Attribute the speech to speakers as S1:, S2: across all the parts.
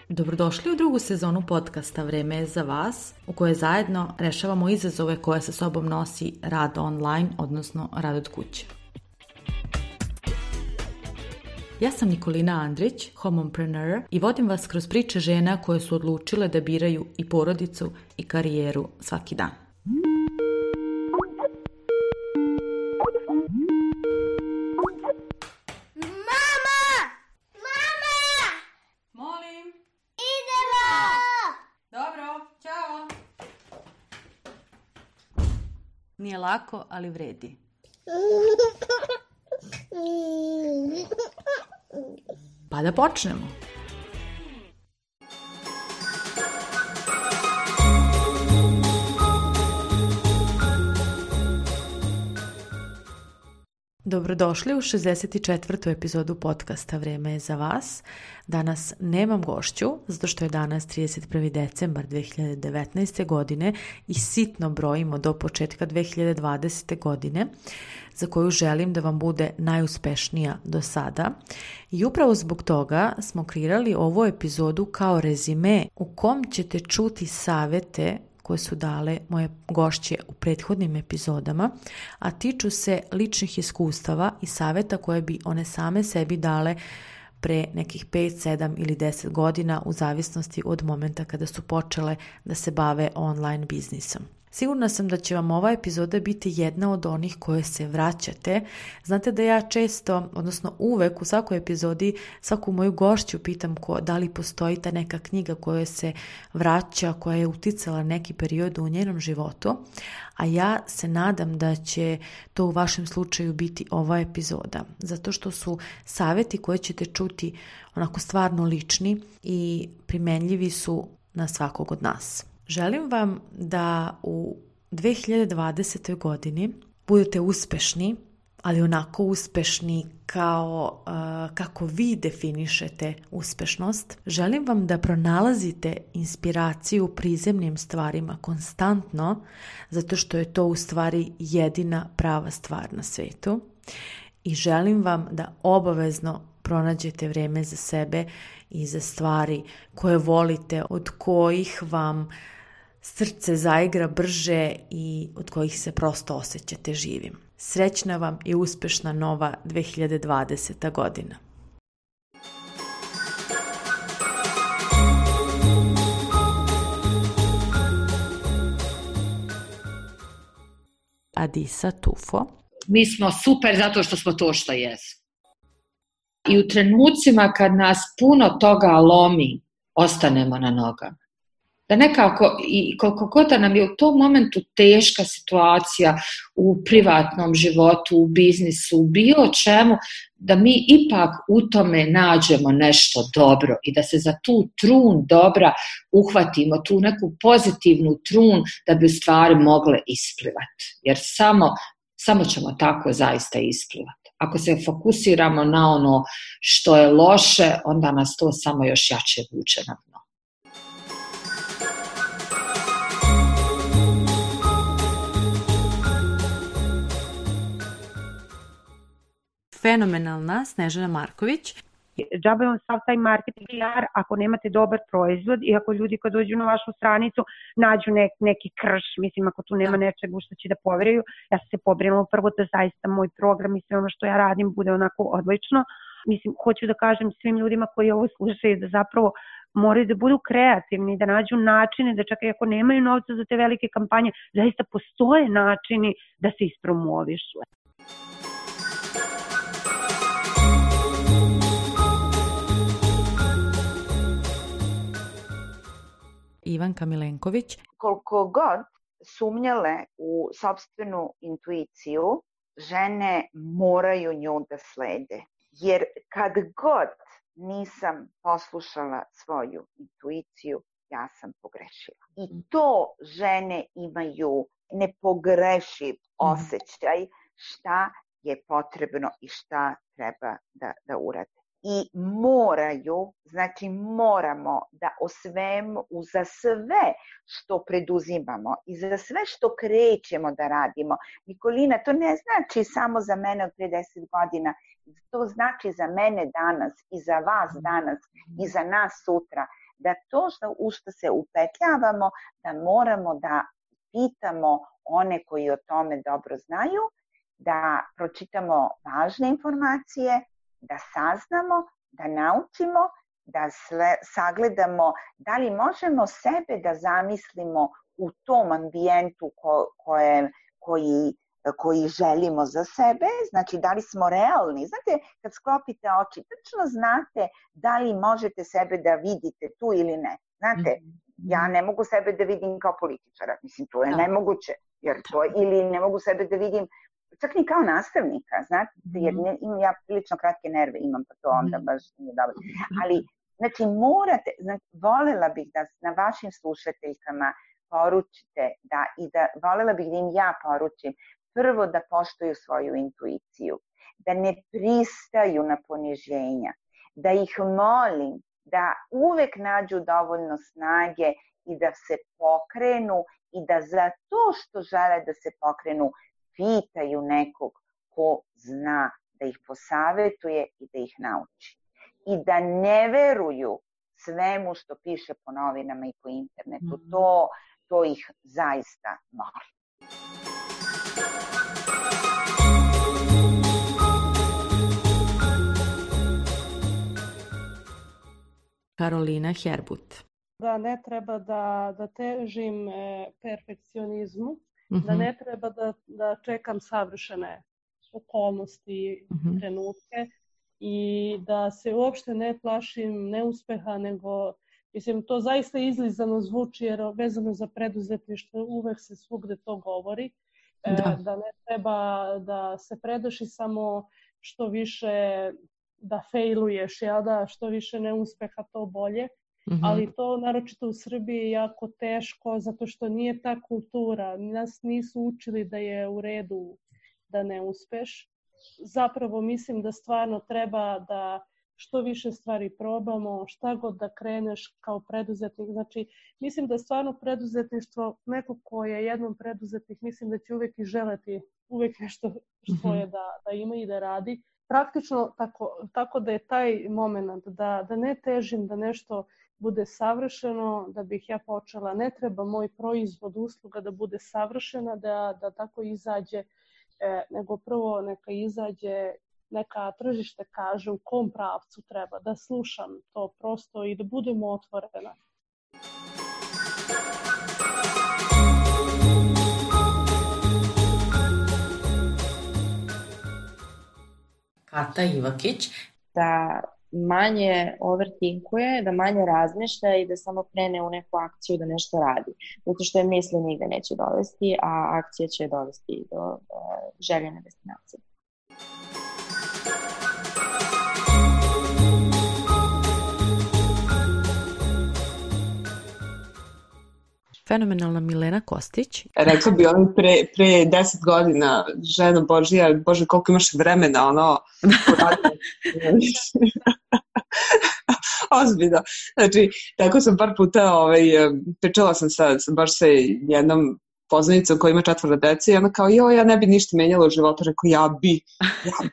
S1: Dobrodošli u drugu sezonu podcasta Vreme je za vas, u kojoj zajedno rešavamo izazove koje sa sobom nosi rad online, odnosno rad od kuće. Ja sam Nikolina Andrić, homompreneur, i vodim vas kroz priče žena koje su odlučile da biraju i porodicu i karijeru svaki dan. Nije lako, ali vredi. Pa da počnemo. Dobrodošli u 64. epizodu podcasta Vreme je za vas. Danas nemam gošću, zato što je danas 31. decembar 2019. godine i sitno brojimo do početka 2020. godine, za koju želim da vam bude najuspešnija do sada. I upravo zbog toga smo kreirali ovu epizodu kao rezime u kom ćete čuti savete koje su dale moje gošće u prethodnim epizodama, a tiču se ličnih iskustava i saveta koje bi one same sebi dale pre nekih 5, 7 ili 10 godina u zavisnosti od momenta kada su počele da se bave online biznisom. Sigurna sam da će vam ova epizoda biti jedna od onih koje se vraćate. Znate da ja često, odnosno uvek u svakoj epizodi, svaku moju gošću pitam da li postoji ta neka knjiga koja se vraća, koja je uticala neki period u njenom životu, a ja se nadam da će to u vašem slučaju biti ova epizoda, zato što su saveti koje ćete čuti onako stvarno lični i primenljivi su na svakog od nas. Želim vam da u 2020. godini budete uspešni, ali onako uspešni kao kako vi definišete uspešnost. Želim vam da pronalazite inspiraciju u prizemnim stvarima konstantno, zato što je to u stvari jedina prava stvar na svetu. I želim vam da obavezno pronađete vreme za sebe i za stvari koje volite, od kojih vam srce zaigra brže i od kojih se prosto osjećate živim. Srećna vam i uspešna nova 2020. godina. Adisa Tufo.
S2: Mi smo super zato što smo to što jesmo. I u trenucima kad nas puno toga lomi, ostanemo na nogama. Da nekako, i koliko god da nam je u tom momentu teška situacija u privatnom životu, u biznisu, u bilo čemu, da mi ipak u tome nađemo nešto dobro i da se za tu trun dobra uhvatimo, tu neku pozitivnu trun da bi u stvari mogle isplivati. Jer samo ćemo tako zaista isplivati. Ako se fokusiramo na ono što je loše, onda nas to samo još jače vuče na dno.
S1: Fenomenalna Snežana Marković.
S3: Džabe vam sav taj marketing PR ako nemate dobar proizvod i ako ljudi kad dođu na vašu stranicu nađu neki krš, mislim ako tu nema nečeg u što će da poveruju. Ja sam se pobrinula prvo da zaista moj program i sve ono što ja radim bude onako odlično. Mislim, hoću da kažem svim ljudima koji ovo slušaju da zapravo moraju da budu kreativni, da nađu načine, da čak i ako nemaju novca za te velike kampanje, zaista postoje načini da se ispromovišu.
S1: Ivanka Milenković.
S4: Koliko god sumnjale u sopstvenu intuiciju, žene moraju nju da slede. Jer kad god nisam poslušala svoju intuiciju, ja sam pogrešila. I to žene imaju nepogrešiv osjećaj šta je potrebno i šta treba da urade. I moraju, znači moramo da o svemu, za sve što preduzimamo i za sve što krećemo da radimo. Nikolina, to ne znači samo za mene od 50 godina, to znači za mene danas i za vas danas i za nas sutra. da to u što se upetljavamo, da moramo da pitamo one koji o tome dobro znaju, da pročitamo važne informacije, da saznamo, da naučimo, da sagledamo da li možemo sebe da zamislimo u tom ambijentu koji želimo za sebe, znači da li smo realni. Znate, kad sklopite oči, tačno znate da li možete sebe da vidite tu ili ne. Znate, ja ne mogu sebe da vidim kao političara, mislim, to je nemoguće, ili ne mogu sebe da vidim čak ni kao nastavnika, znate, jer ja prilično kratke nerve imam, pa to onda baš nije dobro. Ali, znači, morate, volela bih da na vašim slušateljkama poručite, volela bih da im ja poručim, prvo da poštuju svoju intuiciju, da ne pristaju na poniženja, da ih molim da uvek nađu dovoljno snage i da se pokrenu i da za to što žele da se pokrenu pitaju nekog ko zna da ih posavetuje i da ih nauči. I da ne veruju svemu što piše po novinama i po internetu. To ih zaista molim.
S1: Karolina Herbut.
S5: Da ne treba da težim perfekcionizmu, da ne treba da čekam savršene okolnosti, trenutke i da se uopšte ne plašim neuspeha, nego, mislim, to zaista izlizano zvuči jer vezano za preduzetništvo uvek se svugde to govori, da ne treba da se predaš i samo što više da fejluješ, što više neuspeha to bolje. Ali to naročito u Srbiji je jako teško zato što nije ta kultura. Nas nisu učili da je u redu da ne uspeš. Zapravo mislim da stvarno treba da što više stvari probamo, šta god da kreneš kao preduzetnik. Znači, mislim da stvarno preduzetništvo, neko ko je jednom preduzetnik, mislim da će uvek i želeti uvek nešto svoje da ima i da radi. Praktično tako da je taj moment da ne težim da nešto bude savršeno, da bih ja počela. Ne treba moj proizvod, usluga da bude savršena, da tako izađe, nego prvo neka izađe, neka tržište kaže u kom pravcu treba, da slušam to prosto i da budemo otvorena.
S1: Kata Ivakić.
S6: Da manje overthinkuje, da manje razmišlja i da samo krene u neku akciju da nešto radi. Zato što je misli nigde neće dovesti, a akcija će dovesti do željene destinacije.
S1: Fenomenalna Milena Kostić.
S7: Rekla bi ono pre 10 godina, žena Božija, Bože koliko imaš vremena, ono, ozbiljno. Znači, tako sam par puta, pričala sam baš sa jednom poznanicom koja ima 4 dece i ona kao, ja ne bi ništa menjala u životu, rekao, ja bi,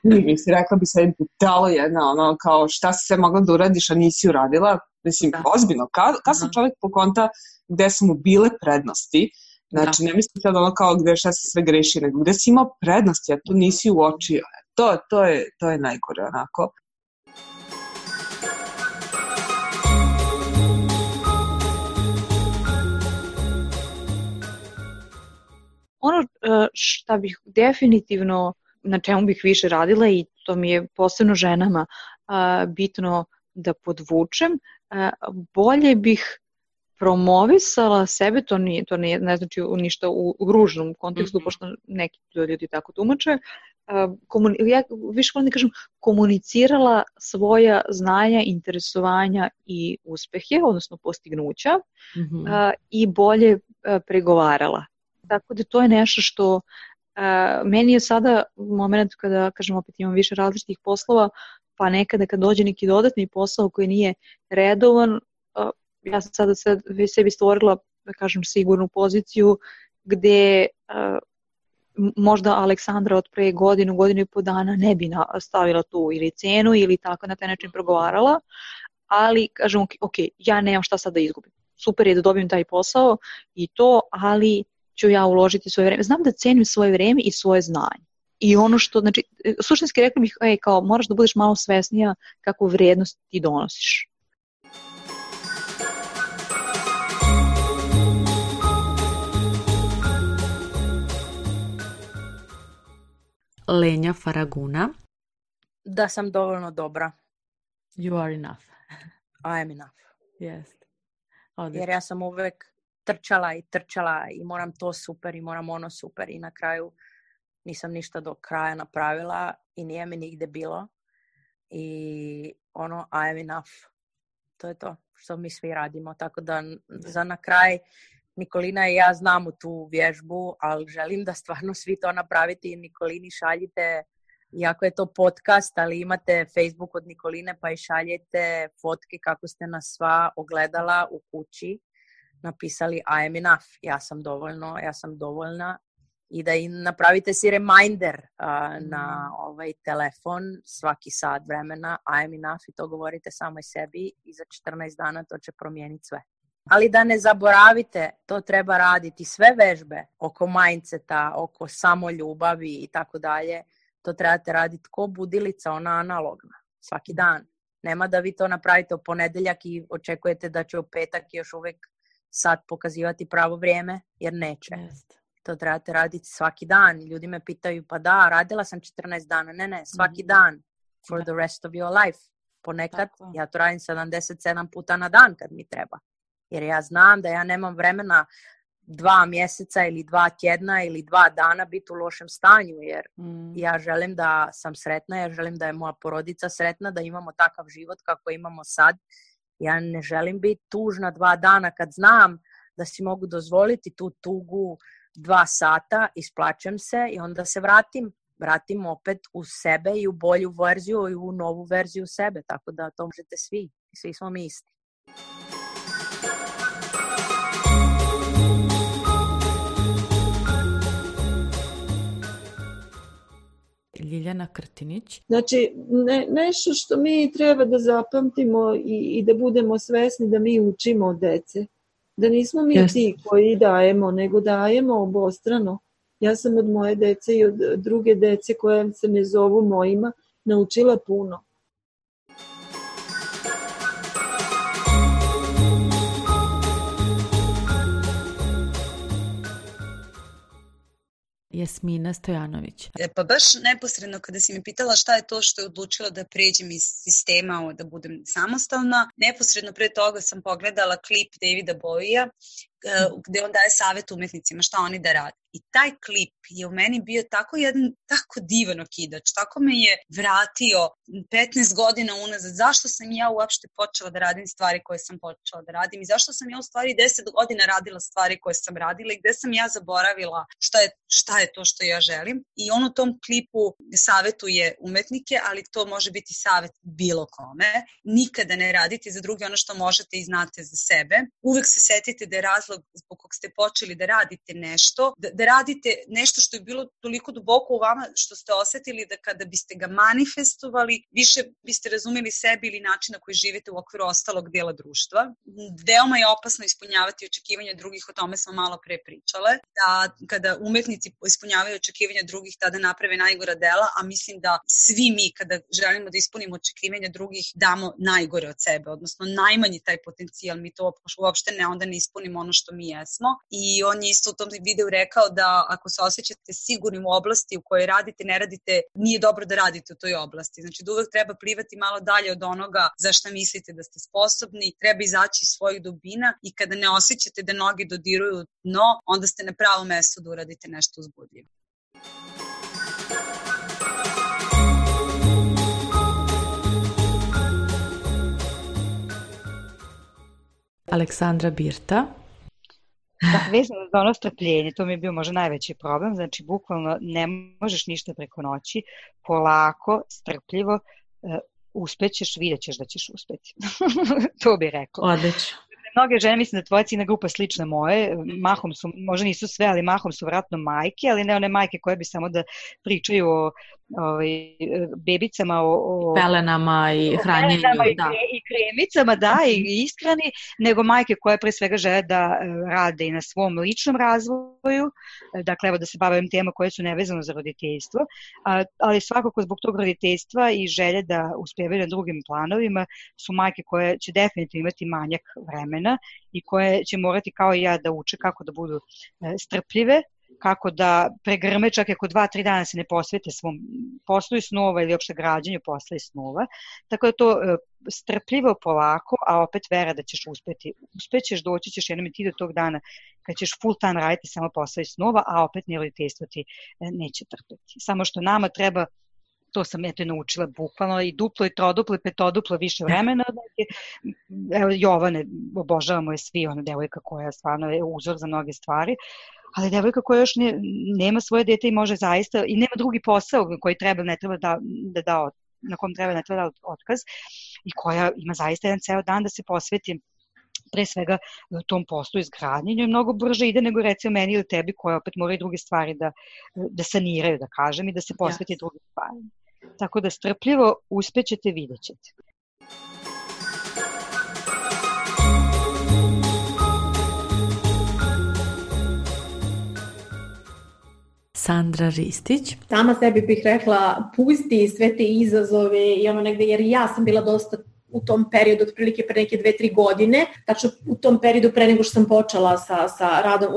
S7: mislim, rekla bi sad budalo jedna, ono, kao, šta si sve mogla da uradiš, a nisi uradila, mislim, ozbiljno, kad sam čovjek pokonta gde su mu bile prednosti, znači ne mislim sad ono kao gde šta se sve greši, nego gde si imao prednosti, a tu nisi uočio, to je najgore onako.
S8: Ono šta bih definitivno, na čemu bih više radila i to mi je posebno ženama bitno da podvučem, bolje bih promovisala sebe, to ne znači ništa u ružnom kontekstu, pošto neki ljudi tako tumače, ja više volim da kažem, komunicirala svoja znanja, interesovanja i uspehe, odnosno postignuća, i bolje pregovarala. Tako da to je nešto što meni je sada moment kada, kažem, opet imam više različitih poslova, pa nekada kad dođe neki dodatni posao koji nije redovan, ja sam sada sebi stvorila, da kažem, sigurnu poziciju gde možda Aleksandra od pre godinu i po dana ne bi stavila tu ili cenu ili tako na taj način progovarala, ali kažem, ok, ja nemam šta sad da izgubim. Super je da dobijem taj posao i to, ali ću ja uložiti svoje vreme. Znam da cenim svoje vreme i svoje znanje. I ono što, znači, suštinski rekli bih, kao moraš da budeš malo svesnija kakvu vrednost ti donosiš.
S1: Lenja Faraguna.
S9: Da sam dovoljno dobra.
S1: You are enough.
S9: I am enough.
S1: Yes.
S9: Jer ja sam uvek trčala i moram to super i moram ono super i na kraju nisam ništa do kraja napravila i nije mi nigde bilo. I ono, I am enough. To je to što mi svi radimo. Tako da za na kraj Nikolina i ja znamo tu vježbu, ali želim da stvarno svi to napravite i Nikolini šaljite, iako je to podcast, ali imate Facebook od Nikoline pa i šaljete fotke kako ste nas sva ogledala u kući, napisali I am enough, ja sam dovoljna i da im napravite si reminder na ovaj telefon svaki sat vremena I am enough i to govorite samoj sebi i za 14 dana to će promijeniti sve. Ali da ne zaboravite, to treba raditi sve vežbe oko mindseta, oko samoljubavi i tako dalje. To trebate raditi ko budilica, ona analogna, svaki dan. Nema da vi to napravite u ponedeljak i očekujete da će u petak još uvijek sad pokazivati pravo vrijeme, jer neće. To trebate raditi svaki dan. Ljudi me pitaju, pa da, radila sam 14 dana. Ne, svaki dan for the rest of your life. Ponekad ja to radim 77 puta na dan kad mi treba. Jer ja znam da ja nemam vremena 2 mjeseca ili 2 tjedna ili 2 dana biti u lošem stanju, jer ja želim da sam sretna, ja želim da je moja porodica sretna, da imamo takav život kako imamo sad. Ja ne želim biti tužna 2 dana kad znam da si mogu dozvoliti tu tugu 2 sata, isplačem se i onda se vratim opet u sebe i u bolju verziju i u novu verziju sebe, tako da to možete svi smo mi isti.
S1: Ljiljana Krtinić.
S10: Znači, nešto što mi treba da zapamtimo i da budemo svesni da mi učimo od dece. Da nismo mi ti koji dajemo, nego dajemo obostrano. Ja sam od moje dece i od druge dece koje se me zovu mojima naučila puno.
S1: Jasmina Stojanović.
S11: Pa baš neposredno kada si mi pitala šta je to što je odlučila da pređem iz sistema da budem samostalna, neposredno pre toga sam pogledala klip Davida Bowie-a gde on daje savjet umetnicima šta oni da rade. I taj klip je u meni bio tako divan okidač, tako me je vratio 15 godina unazad. Zašto sam ja uopšte počela da radim stvari koje sam počela da radim i zašto sam ja u stvari 10 godina radila stvari koje sam radila i gde sam ja zaboravila šta je to što ja želim. I on u tom klipu savjetuje umetnike, ali to može biti savjet bilo kome. Nikada ne radite za druge ono što možete i znate za sebe. Uvek se setite da je razlog zbog kog ste počeli da radite nešto, da radite nešto što je bilo toliko duboko u vama što ste osetili da kada biste ga manifestovali, više biste razumeli sebi ili način na koji živite u okviru ostalog dela društva. Veoma je opasno ispunjavati očekivanja drugih, o tome smo malo pre pričale, da kada umetnici ispunjavaju očekivanja drugih, tada naprave najgora dela, a mislim da svi mi kada želimo da ispunimo očekivanja drugih damo najgore od sebe, odnosno najmanji taj potencijal, mi to uopšte onda ne ispunimo ono što mi jesmo. I on je isto u tom videu rekao da ako se osjećate sigurnim u oblasti u kojoj radite, ne radite, nije dobro da radite u toj oblasti. Znači da uvek treba plivati malo dalje od onoga za šta mislite da ste sposobni, treba izaći iz svojih dubina i kada ne osjećate da noge dodiruju dno, onda ste na pravom mestu da uradite nešto uzbudljivo.
S1: Aleksandra Birta.
S12: Vezano za ono strpljenje, to mi je bio možda najveći problem, znači bukvalno ne možeš ništa preko noći, polako, strpljivo, uspećeš, vidjet ćeš da ćeš uspeti. To bi rekla.
S1: Odlično.
S12: Mnoge žene, mislim da tvoja ciljna grupa je slična moje, mahom su, možda nisu sve, ali mahom su vratno majke, ali ne one majke koje bi samo da pričaju o bebicama, o
S1: pelenama i hranjenju,
S12: i kremicama, i ishrani, nego majke koje pre svega žele da rade i na svom ličnom razvoju, dakle evo da se bavim tema koje su nevezano za roditeljstvo, ali svakako zbog tog roditeljstva i želje da uspevaju na drugim planovima su majke koje će definitivno imati manjak vremena i koje će morati kao i ja da uče kako da budu strpljive, kako da pregrme čak ako 2-3 dana se ne posvete svom poslu i snova ili uopšte građanju posla i snova. Tako da to strpljivo, polako, a opet vera da ćeš uspeti. Uspećeš, doći ćeš jednom i ti do tog dana kad ćeš full time raditi samo posla i snova, a opet ni roditeljstvo ti neće trpeti. Samo što nama treba, to sam naučila bukvalno, i duplo, i troduplo, i petoduplo više vremena. Evo, Jovane, obožavamo je svi, ona devojka koja stvarno je uzor za mnoge stvari, ali devojka koja još nema svoje dete i može zaista, i nema drugi posao koji ne treba da na kom treba ne treba da otkaz, i koja ima zaista jedan ceo dan da se posveti pre svega tom poslu izgradnjenju, i mnogo brže ide nego recimo meni ili tebi koja opet mora i druge stvari da saniraju, da kažem, i da se posveti drugim stvarima. Tako da strpljivo uspećete, vidjet ćete.
S1: Sandra Ristić.
S13: Sama sebi bih rekla, pusti sve te izazove i ono negde, jer ja sam bila dosta u tom periodu, otprilike pre neke 2-3 godine, tačno u tom periodu pre nego što sam počela sa radom,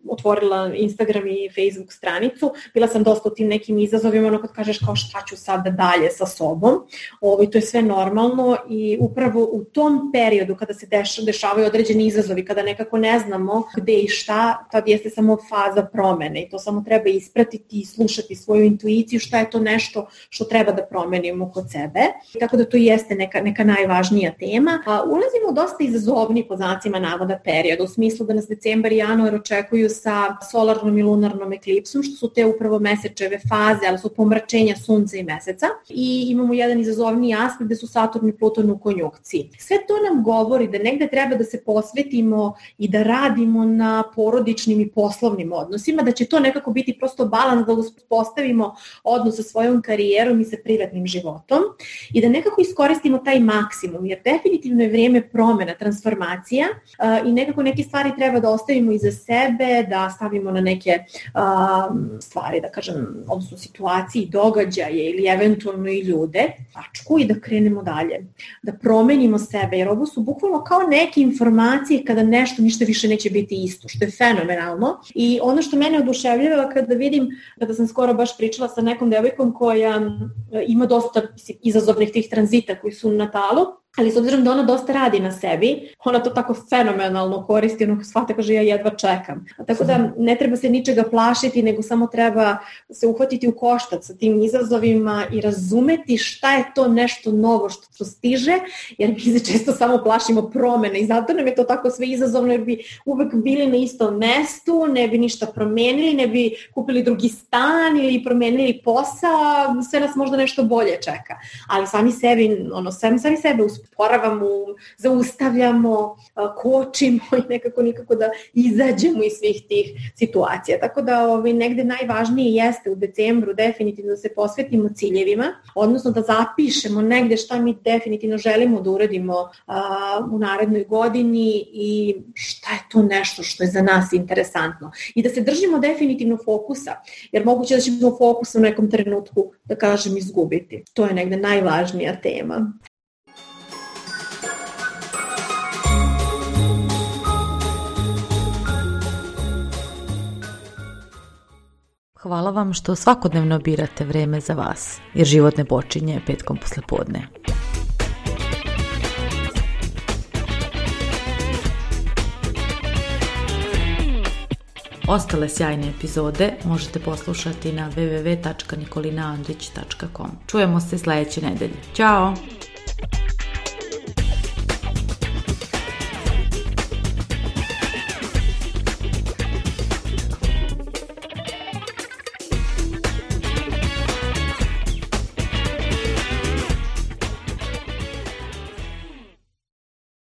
S13: otvorila Instagram i Facebook stranicu, bila sam dosta u tim nekim izazovima, ono kad kažeš kao šta ću sada dalje sa sobom, to je sve normalno, i upravo u tom periodu kada se dešavaju određeni izazovi, kada nekako ne znamo gde i šta, tad jeste samo faza promene i to samo treba ispratiti i slušati svoju intuiciju, šta je to nešto što treba da promenimo kod sebe, tako da to jeste neka najvažnija tema. Ulazimo u dosta izazovni, po znacima navoda, period, u smislu da nas decembar i januar očekuju sa solarnom i lunarnom eklipsom, što su te upravo mesečeve faze, ali su pomračenja sunca i meseca, i imamo jedan izazovniji aspekt gde su Saturn i Pluton u konjunkciji. Sve to nam govori da negde treba da se posvetimo i da radimo na porodičnim i poslovnim odnosima, da će to nekako biti prosto balans, da uspostavimo odnos sa svojom karijerom i sa privatnim životom i da nekako iskoristimo taj maksimum, jer definitivno je vrijeme promena, transformacija, i nekako neke stvari treba da ostavimo iza sebe, da stavimo na neke stvari, da kažem, odnosno situacije, događaje ili eventualno i ljude, tačku, i da krenemo dalje, da promenimo sebe, jer ovo su bukvalno kao neke informacije kada ništa više neće biti isto, što je fenomenalno. I ono što mene oduševljava kada sam skoro baš pričala sa nekom devojkom koja ima dosta izazovnih tih tranzita koji su na natalu, ali s obzirom da ona dosta radi na sebi, ona to tako fenomenalno koristi, ono shvata, kaže, ja jedva čekam. Tako da ne treba se ničega plašiti, nego samo treba se uhvatiti u koštac sa tim izazovima i razumeti šta je to nešto novo što stiže, jer mi se često samo plašimo promene i zato nam je to tako sve izazovno, jer bi uvek bili na istom mestu, ne bi ništa promenili, ne bi kupili drugi stan ili promenili posao, sve nas možda nešto bolje čeka. Ali sami sebe usporavamo, zaustavljamo, kočimo i nikako da izađemo iz svih tih situacija. Tako da negde najvažnije jeste u decembru definitivno da se posvetimo ciljevima, odnosno da zapišemo negde šta mi definitivno želimo da uradimo u narednoj godini i šta je to nešto što je za nas interesantno. I da se držimo definitivno fokusa, jer moguće da ćemo fokus u nekom trenutku, da kažem, izgubiti. To je negde najvažnija tema.
S1: Hvala vam što svakodnevno birate vreme za vas, jer život ne počinje petkom poslepodne. Ostale sjajne epizode možete poslušati na www.nikolinaandrić.com. Čujemo se sledeće nedelje. Ćao!